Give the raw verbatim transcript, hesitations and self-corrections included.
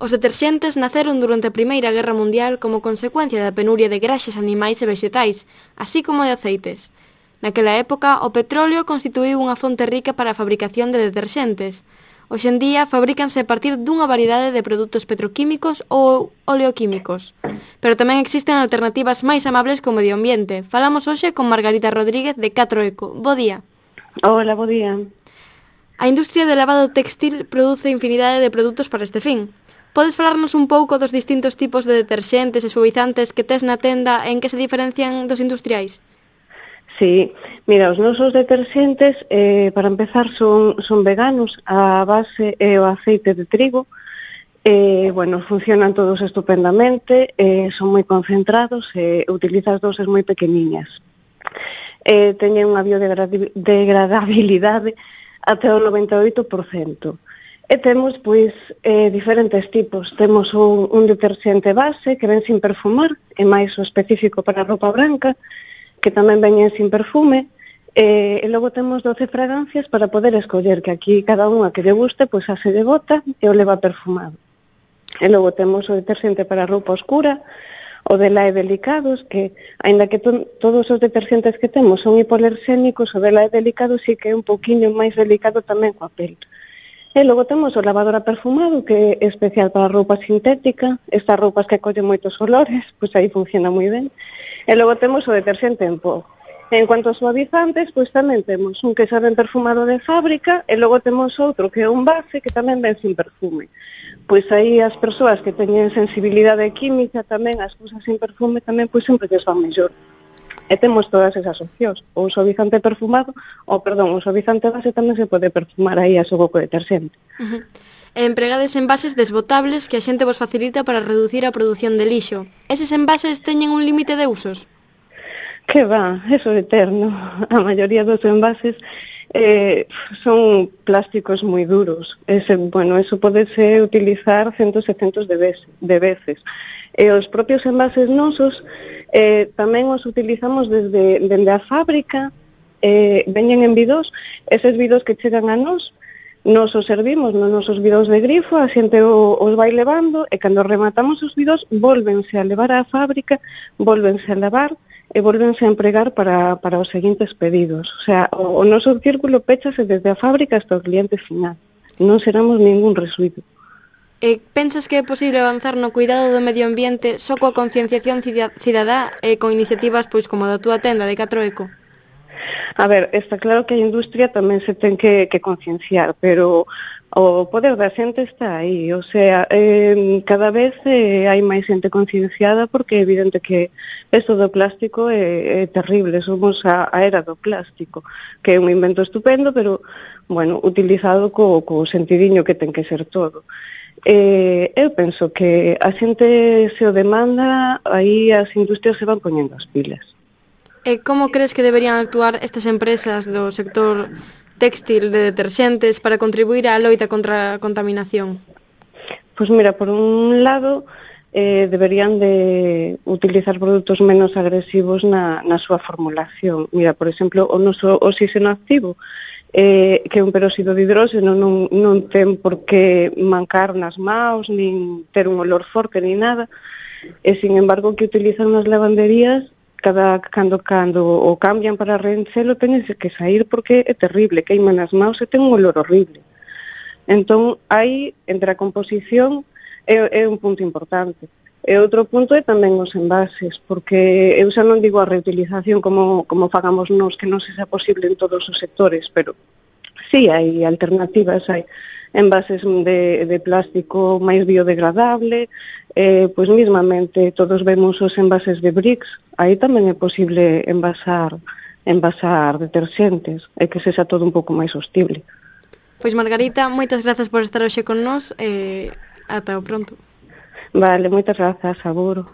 Os deterxentes naceron durante a Primeira Guerra Mundial como consecuencia da penuria de graxas animais e vexetais, así como de aceites. Naquela época, o petróleo constituíu unha fonte rica para a fabricación de deterxentes. Hoxe en día, fabrícanse a partir dunha variedade de produtos petroquímicos ou oleoquímicos. Pero tamén existen alternativas máis amables co medio ambiente. Falamos hoxe con Margarita Rodríguez de catro eco. Bo día. Hola, bo día. A industria de lavado textil produce infinidade de produtos para este fin. Podes falarnos un pouco dos distintos tipos de deterxentes e suavizantes que tes na tenda e en que se diferencian dos industriais? Sí, mira, os nosos deterxentes, eh, para empezar, son, son veganos, a base é o aceite de trigo, eh, bueno, funcionan todos estupendamente, eh, son moi concentrados e eh, utilizas doses moi pequeniñas. Eh, teñen unha biodegradabilidade até o noventa e oito por cento. E temos, pois, eh, diferentes tipos. Temos un, un deterxente base que ven sin perfumar, é máis o específico para a roupa branca, que tamén veñen sin perfume, e, e logo temos doce fragancias para poder escoller, que aquí cada unha que lle guste, pois a se lle bota e o leva perfumado. E logo temos o deterxente para roupa oscura, o de Lae Delicados, que, aínda que to, todos os deterxentes que temos son hipoalerxénicos, o de Lae Delicados sí que é un poquinho máis delicado tamén coa pel. E logo temos o lavadora perfumado, que é especial para roupa sintética, estas roupas que collen moitos olores, pois aí funciona moi ben. E logo temos o deterxente en pó. En cuanto a suavizantes, pois tamén temos un que xa ven perfumado de fábrica, e logo temos outro que é un base que tamén ven sin perfume. Pois aí as persoas que teñen sensibilidade química tamén, as cousas sin perfume tamén, pois sempre lles van mellor. E temos todas esas opcións. O suavizante perfumado, ou perdón, o suavizante base tamén se pode perfumar aí a xogo co deterxente. Uh-huh. E empregades envases desbotables que a xente vos facilita para reducir a produción de lixo. Eses envases teñen un límite de usos? Que va, eso é eterno. A maioría dos envases eh, son plásticos moi duros. Ese, bueno, eso podese utilizar centos e centos de veces. De veces. E os propios envases nosos eh, tamén os utilizamos desde, desde a fábrica, eh, veñen en bidós, eses bidós que chegan a nós, nos os servimos nos nosos bidós de grifo, a xente o, os vai levando, e cando rematamos os bidós, volvense a levar á fábrica, volvense a lavar, e volvense a empregar para, para os seguintes pedidos. O sea, o, o noso círculo péchase desde a fábrica hasta o cliente final. Non seramos ningún residuo. E pensas que é posible avanzar no cuidado do medio ambiente só coa concienciación cidadá e con iniciativas pois como a da túa tenda de catro eco? A ver, está claro que a industria tamén se ten que, que concienciar, pero o poder da xente está aí, o sea, eh, cada vez eh, hai máis xente concienciada porque é evidente que isto do plástico é, é terrible, somos a, a era do plástico, que é un invento estupendo, pero, bueno, utilizado co, co sentidiño que ten que ser todo. Eh, eu penso que a xente se o demanda, aí as industrias se van poñendo as pilas. E como crees que deberían actuar estas empresas do sector textil de deterxentes para contribuir á loita contra a contaminación? Pois mira, por un lado, eh, deberían de utilizar produtos menos agresivos na, na súa formulación. Mira, por exemplo, o noso oxígeno activo, eh, que é un peróxido de hidróxeno, non, non ten por que mancar nas maus, nin ter un olor forte, nin nada, e, sin embargo, que utilizan nas lavanderías, cada cando cando o cambian para reenchelo, teñen que sair porque é terrible, queiman as maus e ten un olor horrible. Entón, aí, entre a composición, é, é un punto importante. E outro punto é tamén os envases, porque eu xa non digo a reutilización como, como fagamos nós, que non se xa posible en todos os sectores, pero sí hai alternativas, hai envases de, de plástico máis biodegradable, eh, pois mismamente todos vemos os envases de bricks, aí tamén é posible envasar, envasar deterxentes, e que sexa todo un pouco máis sostible. Pois Margarita, moitas grazas por estar hoxe con nós, e ata o pronto. Vale, moitas grazas, seguro.